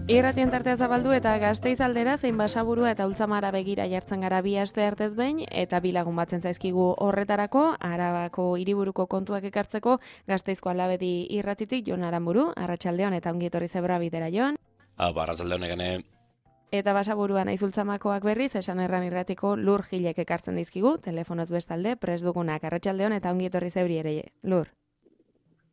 Irratien tartea zabaldu eta Gasteiz aldera zein Basaburua eta Ultzamara begira jartzen gara bi aste artez behin eta bi lagun batzen zaizkigu horretarako, Arabako hiriburuko kontuak ekartzeko Gasteizko Alabedi irratitik Jon Aranburu, arratsaldeon eta ongi etorri Zebra bidera Jon. Arratsaldeon egene. Eta Basaburua naiz Ultzamakoak berriz, esan erran irratiko Lur Gilek ekartzen dizkigu, telefonoz bestalde, prest dugunak arratsaldeon eta ongi etorri Zebri ere, Lur.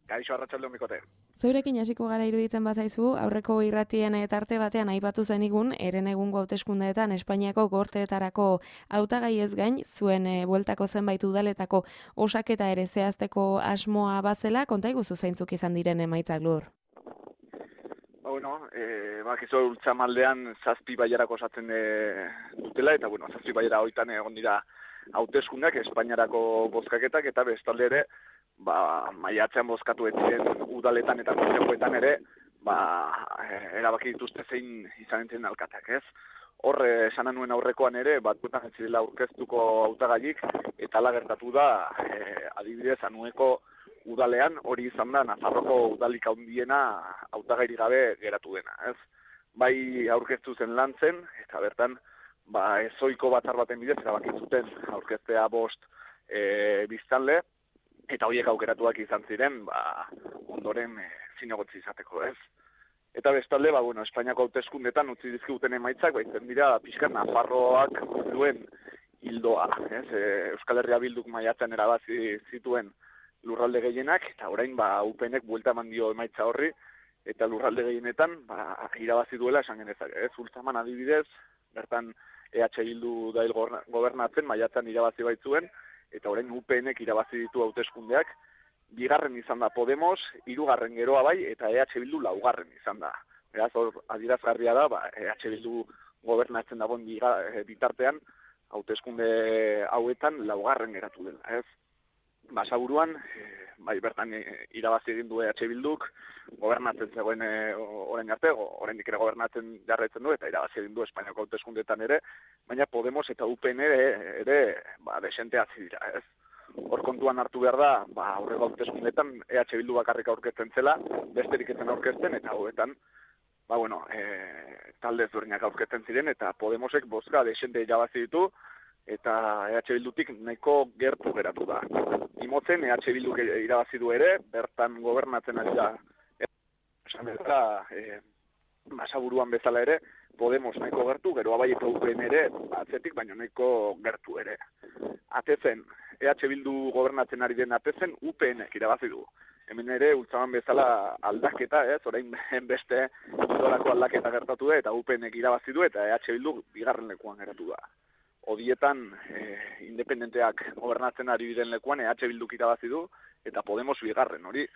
Kaixo arratsaldeon bikote. Zeurekin hasiko gara iruditzen bazaizu, aurreko irratien tarte batean aipatu zenigun, eren egungo hauteskundeetan Espainiako gorteetarako hautagai ez gain, zuen bueltako zenbait udaletako osaketa ere zehazteko asmoa bazela, konta iguzu zeintzuk izan diren emaitzak, Lur? Bakizu Ultzamaldean 7 bailarako osatzen dutela, eta 7 bailara hoitan egon dira hauteskundeak Espainiarako bozkaketak, eta bestalde ere, maiatzean bozkatu etziren udaletan eta kontzejuetan ere, erabaki dituzte zein izan entzen alkateak, ez? Hor, esan nuen aurrekoan ere, batzuetan ez zirela aurkeztuko hautagaiik, eta hala gertatu da, adibidez, Anueko udalean hori izan da Nafarroko udalik handiena hautagairik gabe geratu dena, ez? Bai aurkeztu zen Lantzen, eta bertan, ezoiko batzar baten bidez, erabaki zuten aurkeztea 5 biztanle, eta horiek aukeratuak izan ziren, ondoren zinegotzi izateko, ez? Eta bestalde, Espainiako hauteskundetan utzi dizkiguten emaitzak, baitzen dira, pixka Nafarroak duen hildoa, ez? Euskal Herria Bilduk maiatzen erabazi zituen lurralde gehienak, eta orain UPNek buelta eman dio emaitza horri, eta lurralde gehienetan irabazi duela esan genezake, ez? Ultzaman adibidez, bertan EH Bildu dail gobernatzen, maiatzen irabazi baitzuen, eta orain UPNek irabazi ditu hauteskundeak, 2. izan da Podemos, 3. geroa bai, eta EH Bildu 4. izan da. Beraz, hor adierazgarria da, EH Bildu gobernatzen dagoen bitartean, hauteskunde hauetan 4. geratu dela, ez? Basaburuan, bertan irabazi egin du EH Bilduk, gobernatzen zegoen orain arte, oraindik ere gobernatzen jarraitzen du, eta irabazi egin du Espainiako hauteskundeetan ere, baina Podemos eta UPN ere desente hasi dira, ez? Hor kontuan hartu behar da, aurreko hauteskundeetan EH Bildu bakarrik aurkezten zela, besterik ezen aurkezten, eta hauetan, talde ezberdinak aurkezten ziren, eta Podemosek bozka desente irabazi ditu, eta EH Bildutik nahiko gertu geratu da. Imotzen EH Bilduk irabazi du ere, bertan gobernatzen ari da, esan bezala, Basaburuan bezala ere, Podemos nahiko gertu, geroa bai eta UPN ere, atzetik, baina nahiko gertu ere. Atezen, EH Bildu gobernatzen ari den atezen, UPNek irabazi du. Hemen ere, Ultzaman bezala aldaketa, ez, orain beste idolako aldaketa gertatu da, eta UPNek irabazi du, eta EH Bildu 2. lekuan geratu da. Odietan, independenteak gobernatzen ari diren lekuan, EH Bilduk irabazi du, eta Podemos 2. hori.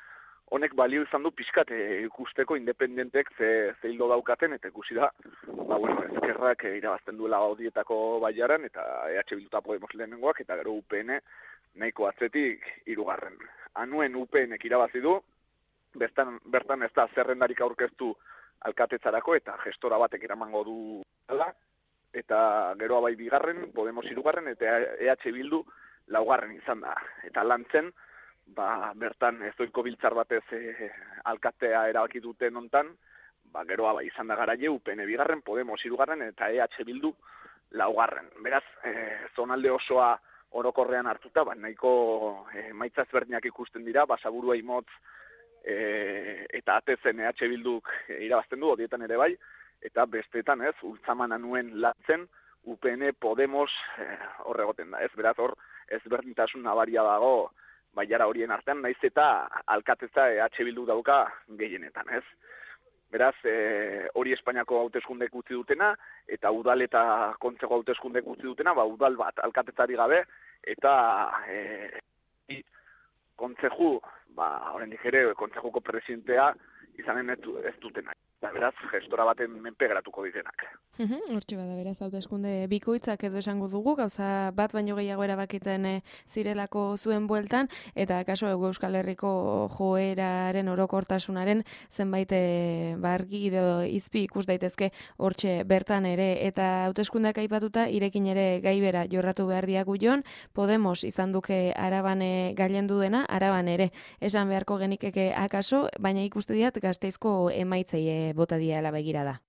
Honek balio izan du pixkat ikusteko independentek ze hildo daukaten, eta ikusi da, ezkerrak irabazten duela odietako baiaran, eta EH Bildu eta Podemos lehenengoak, eta gero UPN nahiko atzetik 3. Anuen UPNek irabazi du, bertan ez da zerrendarik aurkeztu alkatetzarako, eta gestora batek eramango du dela, eta geroa bai 2., Podemos 3., eta EH Bildu 4. izan da. Eta Lantzen, bertan ezoiko biltzar batez alkatea erabaki duten hontan, geroa bai izan da Garaile, UPN 2., Podemos 3., eta EH Bildu 4. Beraz, zonalde osoa orokorrean hartuta, nahiko emaitza ezberdinak ikusten dira, Basaburua Imotz eta atezen EH Bilduk irabazten du, odietan ere bai, eta bestetan ez, Ultzaman Anuen Lantzen, UPN Podemos horregoten da, ez? Beraz, hor ezberdintasun nabaria dago baiara horien artean, naiz eta alkatetza EH Bildu dauka gehienetan, ez? Beraz, hori Espainiako hauteskundek utzi dutena, eta udal eta kontzeko hauteskundek utzi dutena, udal bat alkatetzari gabe, eta kontzeju, oraindik ere, kontzejuko presidentea izanen ez dutena. Eta beraz, gestora baten menpe geratuko direnak. Hortxe bada, beraz, hauteskunde bikoitzak edo esango dugu, gauza bat baino gehiago erabakitzen zirelako zuen bueltan, eta kaso Euskal Herriko joeraren orokortasunaren zenbait argi edo izpi ikus daitezke hortxe bertan ere, eta hauteskundeak aipatuta irekin ere gaibera jorratu behar diagu Jon, Podemos izan duke Araban gailendu dena, Araban ere esan beharko genikeke akaso, baina ikuste diat Gasteizko emaitzei bota diala begirada.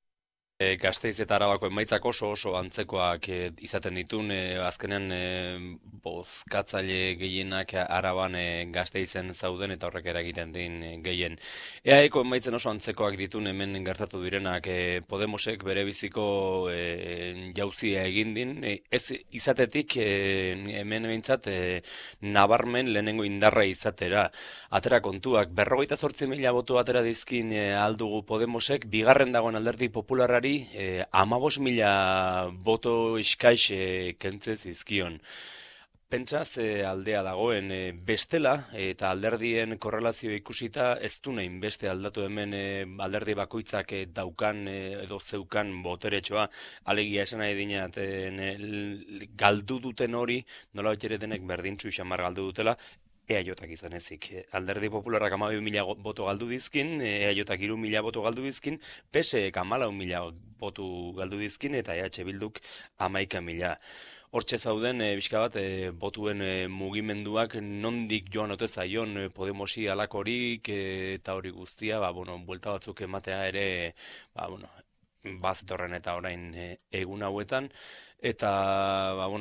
Gasteiz eta Arabako emaitzak oso antzekoak izaten ditun, azkenean bozkatzaile gehienak Araban Gasteizen zauden eta horrek eragiten din gehien. EAeko emaitzen oso antzekoak ditun hemen gertatu direnak, Podemosek bere biziko jauzia egin din, ez izatetik hemen behintzat nabarmen lehenengo indarra izatera. Atera kontuak, 58.000 boto atera dizkin aldugu Podemosek, bigarren dagoen alderdi popularrari 15.000 boto iskaix kentze zizkion. Pentsa ze aldea dagoen bestela eta alderdien korrelazio ikusita ez du nahin beste aldatu hemen alderdi bakoitzak daukan edo zeukan boteretxoa, alegia esan nahi dinat galdu duten hori nola ere denek berdintzu xamar galdu dutela, EAJak izan ezik. Alderdi Popularrak 12.000 boto galdu dizkin, EAJak 3.000 boto galdu dizkin, PSEek 14.000 boto galdu dizkin, eta EH Bilduk 11.000. Hortxe zauden, bizka bat, botuen mugimenduak nondik joan ote zaion Podemosi alakorik eta hori guztia, buelta batzuk ematea ere, bazetorren eta orain egun hauetan, eta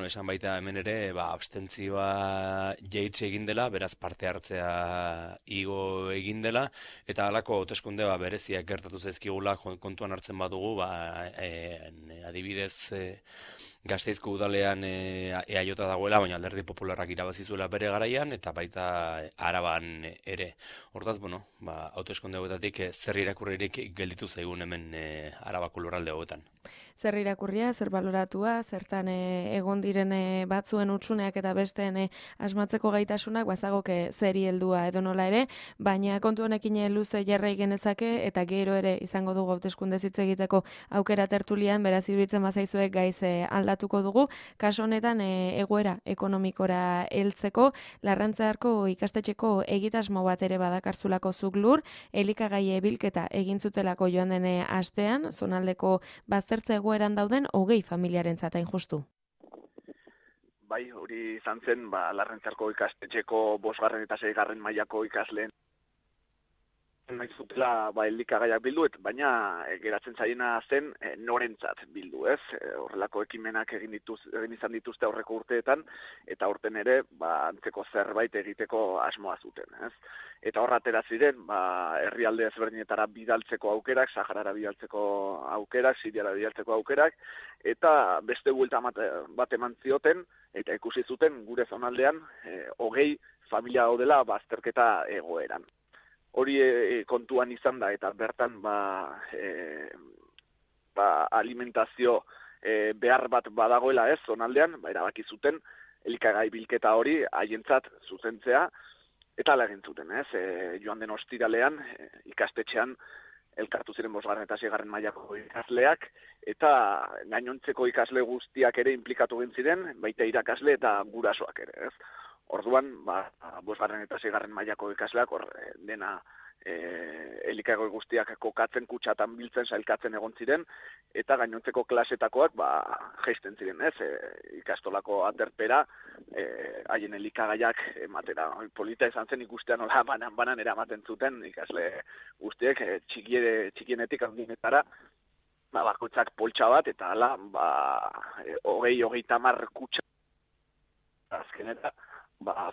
esan baita hemen ere abstentzioa jaitsi egin dela, beraz parte hartzea igo egin dela, eta halako hauteskunde bereziak gertatu zaizkigula kontuan hartzen badugu, adibidez Gasteizko udalean EAJ dagoela, baina alderdi popularrak irabazi zuela bere garaian, eta baita Araban ere. Hortaz, hauteskunde hauetatik zer irakurririk gelditu zaigun hemen Arabako lurralde hauetan. Zer irakurria, zer baloratua, zertan egon diren batzuen utsuneak eta besteen asmatzeko gaitasunak, bazagoke zeri heldua edo nola ere, baina kontu honekin luze jarrai genezake eta gero ere izango dugu hauteskunde hitz egiteko aukera tertulian, beraz iruditzen bazaizuek gaiz aldatuko dugu. Kaso honetan egoera ekonomikora heltzeko, Larrantzearko ikastetxeko egitasmo bat ere badakarzulako zuk lur, elikagai bilketa egin zutelako joan den astean, zonaldeko baztertze egoeran dauden 20 familiarentzat hain justu. Bai, hori izan zen, Larrantzearko ikastetxeko 5. eta 6. mailako ikasleen nahi zutela elikagaiak bildu, baina geratzen zaiena zen norentzat bildu, ez? Horrelako ekimenak egin izan dituzte aurreko urteetan, eta aurten ere antzeko zerbait egiteko asmoa zuten, ez? Eta horra atera ziren, herrialde ezberdinetara bidaltzeko aukerak, Saharara bidaltzeko aukerak, Siriara bidaltzeko aukerak, eta beste buelta bat eman zioten, eta ikusi zuten gure zonaldean 20 familia daudela bazterketa egoeran. Hori kontuan izan da, eta bertan alimentazio behar bat badagoela ez, zonaldean, erabaki zuten, elikagai bilketa hori haientzat zuzentzea, eta ala egin zuten, ez? Joan den ostiralean, ikastetxean, elkartu ziren 5. eta 6. mailako ikasleak, eta gainontzeko ikasle guztiak ere implikatu egin ziren, baita irakasle eta gurasoak ere, ez? Orduan, 5. eta 6. mailako ikasleak dena elikagoi guztiak kokatzen, kutsatan biltzen, sailkatzen egon ziren, eta gainontzeko klasetakoak jaisten ziren, ez? Ikastolako aterpera, haien elikagaiak ematera. Polita izan zen ikustea nola banan eramaten zuten ikasle guztiek, txikienetik handinetara, bakoitzak poltsa bat, eta hala, 20-30 kutsa azkeneta,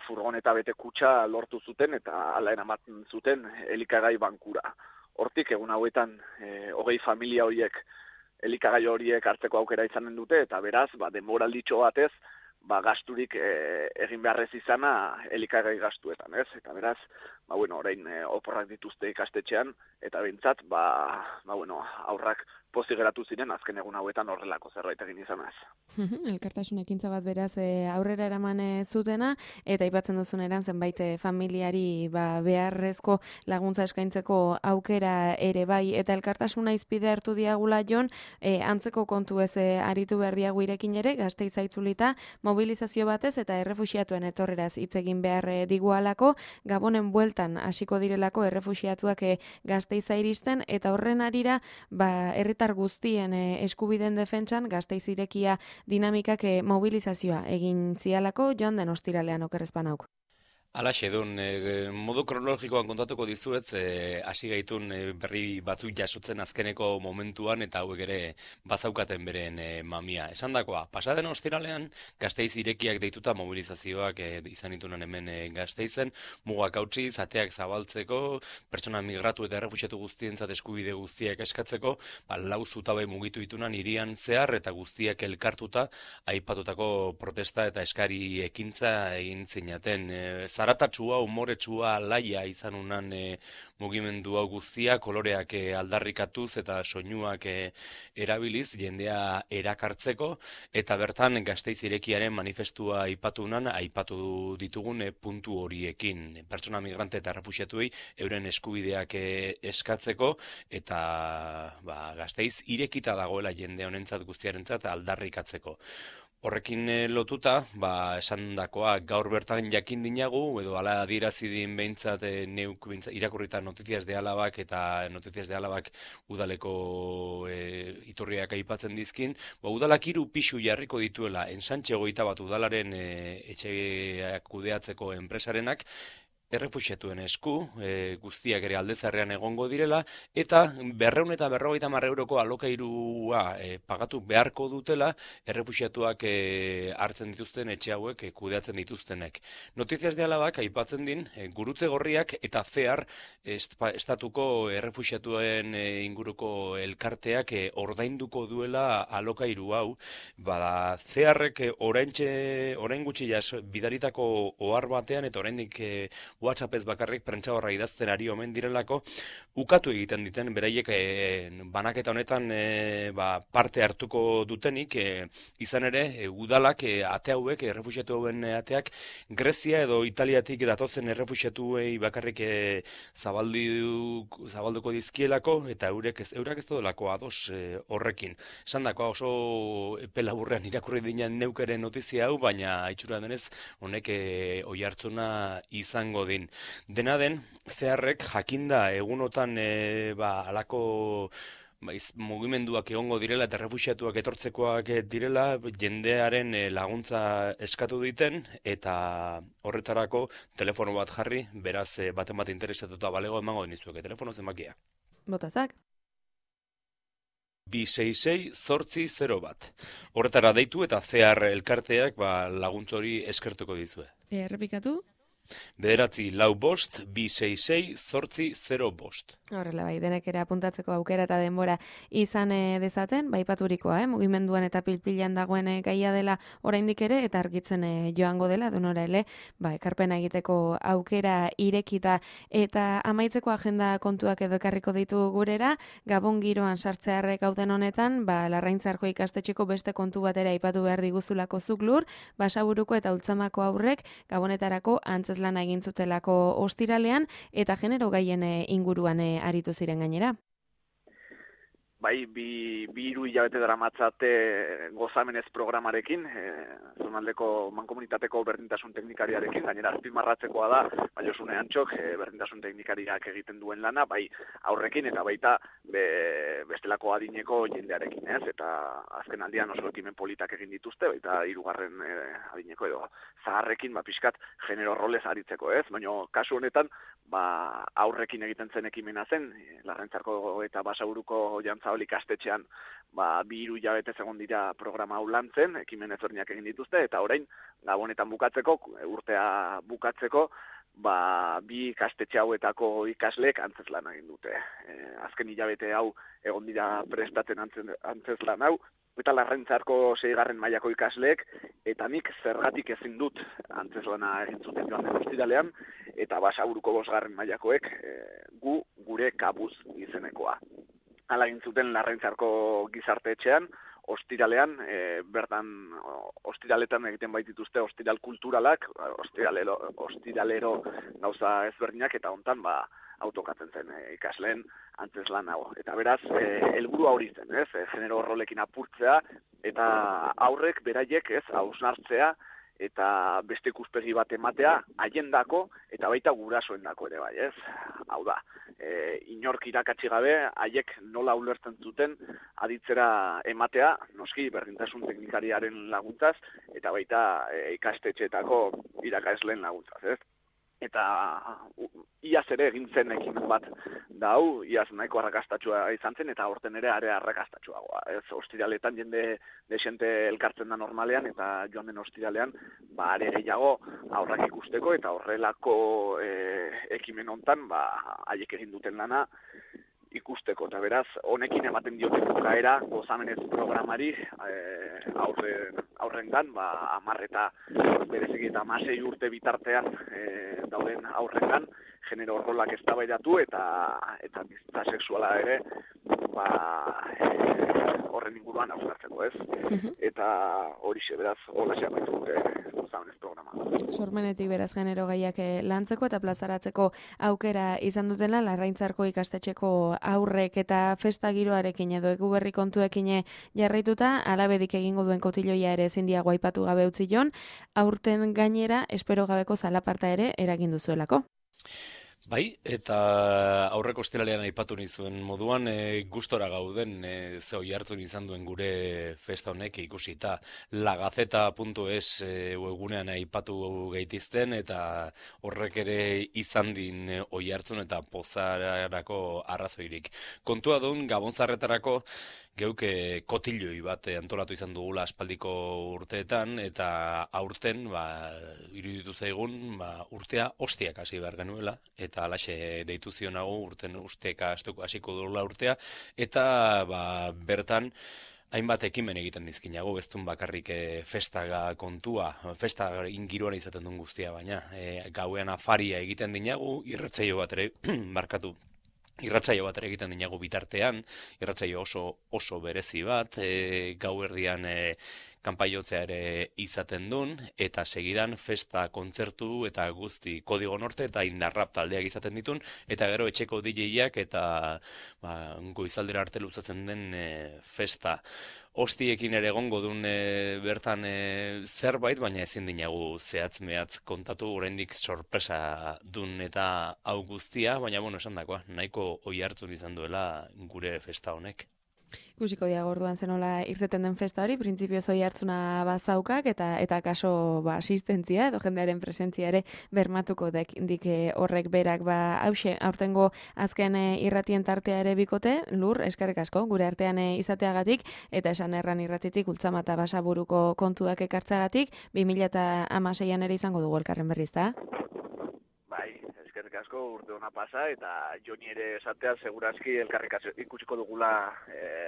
furgoneta bete kutsa lortu zuten eta hala eramaten zuten elikagai bankura. Hortik egun hauetan 20 familia horiek elikagai horiek hartzeko aukera izanen dute, eta beraz, denboralditxo batez, gasturik egin beharrez izana elikagai gastuetan, ez? Eta beraz, orain oporrak dituzte ikastetxean, eta behintzat, aurrak pozik geratu ziren azken egun hauetan horrelako zerbait egin izanaz. Elkartasun ekintza bat beraz aurrera eraman zutena, eta aipatzen duzun eran zenbait familiari beharrezko laguntza eskaintzeko aukera ere bai, eta elkartasuna izpide hartu diagula Jon, antzeko kontu ez aritu behar diagu irekin ere, Gasteiz aitzulita, mobilizazio batez eta errefuxiatuen etorreraz hitz egin behar digualako, Gabonen bueltan hasiko direlako errefuxiatuak Gasteiza iristen, eta horren arira, herritar guztien eskubideen defentsan Gasteiz irekia dinamikak mobilizazioa egin zialako joan den ostiralean okerrezpanauk. Alaxe dun, modu kronologikoan kontatuko dizuet, hasi gaitun berri batzuk jasotzen azkeneko momentuan eta hauek ere bazaukaten beren mamia. Esandakoa, pasaden ostiralean Gasteiz irekiak deituta mobilizazioak izan ditunan hemen Gasteizen, mugak hautsi, ateak zabaltzeko, pertsona migratu eta errefuxiatu guztientzat eskubide guztiak eskatzeko, lau zutabe mugitu ditunan hirian zehar eta guztiak elkartuta aipatutako protesta eta eskari ekintza egin zinaten. Zaratatsua, umoretsua, laia izan unan mugimendu hau guztia, koloreak aldarrikatuz eta soinuak erabiliz, jendea erakartzeko, eta bertan Gasteiz irekiaren manifestua aipatu ditugun puntu horiekin. Pertsona migrante eta refuxiatuei euren eskubideak eskatzeko, eta Gasteiz irekita dagoela jende honentzat guztiarentzat aldarrikatzeko. Horrekin lotuta, esandakoa gaur bertan jakin dinagu, edo ala adierazi din behintzat neuk irakurrita Noticias de Álabak eta Noticias de Álabak udaleko iturriak aipatzen dizkin, udalak 3 pisu jarriko dituela Ensantxe 21 udalaren etxe kudeatzeko enpresarenak, errefuxiatuen esku, guztiak ere aldezarrean egongo direla, eta 250 euroko alokairua pagatu beharko dutela errefuxiatuak hartzen dituzten etxe hauek kudeatzen dituztenek. Noticias de Álabak aipatzen din, gurutze gorriak eta CEAR estatuko errefuxiatuen inguruko elkarteak ordainduko duela alokairu hau, CEARrek orain gutxi bidaritako ohar batean eta oraindik WhatsAppez bakarrik prentsa horra idazten ari omen direlako, ukatu egiten diten, beraiek banaketa honetan parte hartuko dutenik, izan ere, udalak ate hauek, errefuxiatu hauen ateak, Grezia edo Italiatik datozen errefuxiatuei bakarrik zabalduko dizkielako, eta eurak ez dudalako ados horrekin. Esan dakoa oso pelaburrean irakurri dinen neukeren notizia hau, baina itxura denez, honek oihartzuna izango din. Dena den, CEARrek jakinda egunotan alako mugimenduak egongo direla eta refuxiatuak etortzekoak direla, jendearen laguntza eskatu diten, eta horretarako telefono bat jarri, beraz baten bat interesatuta balego emango denizueke. Telefono zenbakia. Botazak. 266-801. Horretara deitu eta CEAR elkarteak laguntzori eskertuko dizue. Errepikatu? 9-266-266-805. Horrela bai, denek ere apuntatzeko aukera eta denbora izan dezaten, ipaturikoa, mugimenduan eta pilpilan dagoen gaia dela oraindik ere, eta argitzen joango dela, donora ele, ekarpena egiteko aukera irekita, eta amaitzeko agenda kontuak edo ekarriko ditu gurera, Gabon giroan sartzearrek gauden honetan, Larraintzarko ikastetxeko beste kontu batera aipatu behar diguzulako Zuklur, Basaburuko eta Ultzamako aurrek Gabonetarako antzezlana egin zutelako ostiralean, eta genero gaien inguruan aritu ziren gainera. Bai, bi hiru hilabete daramatzate gozamenez programarekin, zonaldeko mankomunitateko berdintasun teknikariarekin, gainera azpimarratzekoa da, Josune Antxok berdintasun teknikariak egiten duen lana, bai aurrekin eta baita bestelako adineko jendearekin, ez? Eta azken aldian oso ekimen politak egin dituzte, baita 3. Adineko edo zaharrekin pixkat genero rolez aritzeko, ez? Baina kasu honetan, aurrekin egiten zen ekimena zen, Larraintzarko eta Basaburuko Jantzaoli ikastetxean 2-3 hilabete egon dira programa hau lantzen, ekimen ezberdinak egin dituzte, eta orain Gabonetan bukatzeko, urtea bukatzeko, 2 ikastetxe hauetako ikasleek antzezlan egin dute. Azken hilabete hau egon dira prestatzen antzezlan hau, eta Larraintzarko 6. mailako ikasleek, eta nik zergatik ezin dut antzeslana egin zuten joan den ostiralean, eta Basaburuko 5. mailakoek gure kabuz izenekoa. Hala egin zuten Larraintzarko gizarte etxean, ostiralean, bertan ostiraletan egiten baitituzte ostiral kulturalak, ostiralero gauza ezberdinak, eta hontan autokatzen zen ikasleen antzeslan hau. Eta beraz, helburua hori zen, ez? Genero rolekin apurtzea, eta aurrek beraiek, ez, hausnartzea, eta beste ikuspegi bat ematea, haiendako eta baita gurasoendako ere bai, ez? Hau da, inork irakatsi gabe, haiek nola ulertzen zuten aditzera ematea, noski berdintasun teknikariaren laguntzaz, eta baita ikastetxeetako irakasleen laguntzaz, ez? eta iaz ere egin zen ekimen bat da hau, iaz nahiko arrakastatsua izan zen, eta aurten ere are arrakastatsuagoa. Ez, ostiraletan jende desente elkartzen da normalean, eta joan den ostiralean, are gehiago aurrak ikusteko, eta horrelako ekimen hontan, haiek egin duten lana ikusteko, eta beraz, honekin ematen dioten bukaera gozamenez programari aurrengan, 10 eta bereziki eta 16 urte bitartean dauden aurrengan, genero rolak eztabaidatu eta bizitza sexuala ere horren inguruan hausnartzeko, ez? Eta horixe, beraz, holaxe amaitu dute gozamenez programa. Sormenetik beraz genero gaiak lantzeko eta plazaratzeko aukera izan dutela Larraintzarko ikastetxeko aurrek eta festa giroarekin edo Eguberri kontuekin jarraituta, alabedik egingo duen kotiloia ere ezin diago aipatu gabe utzi jon, aurten gainera espero gabeko zalaparta ere eragin duzuelako. Bai, eta aurreko ostiralean aipatu nizuen moduan, gustora gauden ze oihartzun izan duen gure festa honek ikusita. Lagazeta.es webgunean aipatu gaitizten, eta horrek ere izan din oihartzun eta pozararako arrazoirik. Kontua duen Gabonzarretarako geuke kotiloi bat antolatu izan dugula aspaldiko urteetan, eta aurten iruditu zaigun urtea ostiak hasi behar genuela, eta alaxe deitu zionago urten usteka hasiko dugula urtea, eta bertan hainbat ekimen egiten dizkinago, bestun bakarrik festaga kontua, festa ingiruan izaten duen guztia, baina gauean afaria egiten dinagu, irratsaio bat ere markatu. Irratsaio bat ere egiten dinagu bitartean, irratsaio oso berezi bat, gauerdian kanpaiotzea ere izaten duen, eta segidan festa, kontzertu eta guzti Kodigo Norte eta Indarrap taldeak izaten ditun, eta gero etxeko DJak eta goizaldera arte luzatzen den festa. Ostiekin ere egongo duen bertan zerbait, baina ezin dinagu zehatz-mehatz kontatu, oraindik sorpresa dun eta hau guztia, baina esan dakoa, nahiko oihartzun izan duela gure festa honek. Ikusiko diago orduan zenola irteten den festa hori, printzipioz oihartzuna bazaukak eta kaso asistentzia edo jendearen presentzia ere bermatuko dik horrek berak hause aurtengo azken irratien tartea ere bikote, Lur, eskerrik asko gure artean izateagatik eta esan erran irratitik Ultzama eta Basaburuko kontuak ekartzagatik 2016an ere izango dugu elkarren berriz, da? Asko urte hona pasa, eta Joni ere esatea segurazki elkarrik ikusiko dugula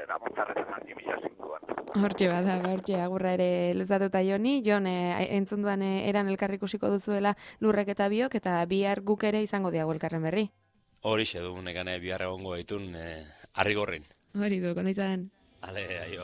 Gabonzarretan 2005an. Hortxe hortxe agurra ere luzatuta Joni. Jon, entzunduan eran elkarrik ikusiko duzuela Lurrek eta biok, eta bihar guk ere izango diago elkarren berri. Horixe du, nekane bihar egongo gaitun Arrigorrin. Hori du, kondo izan. Ale, aio.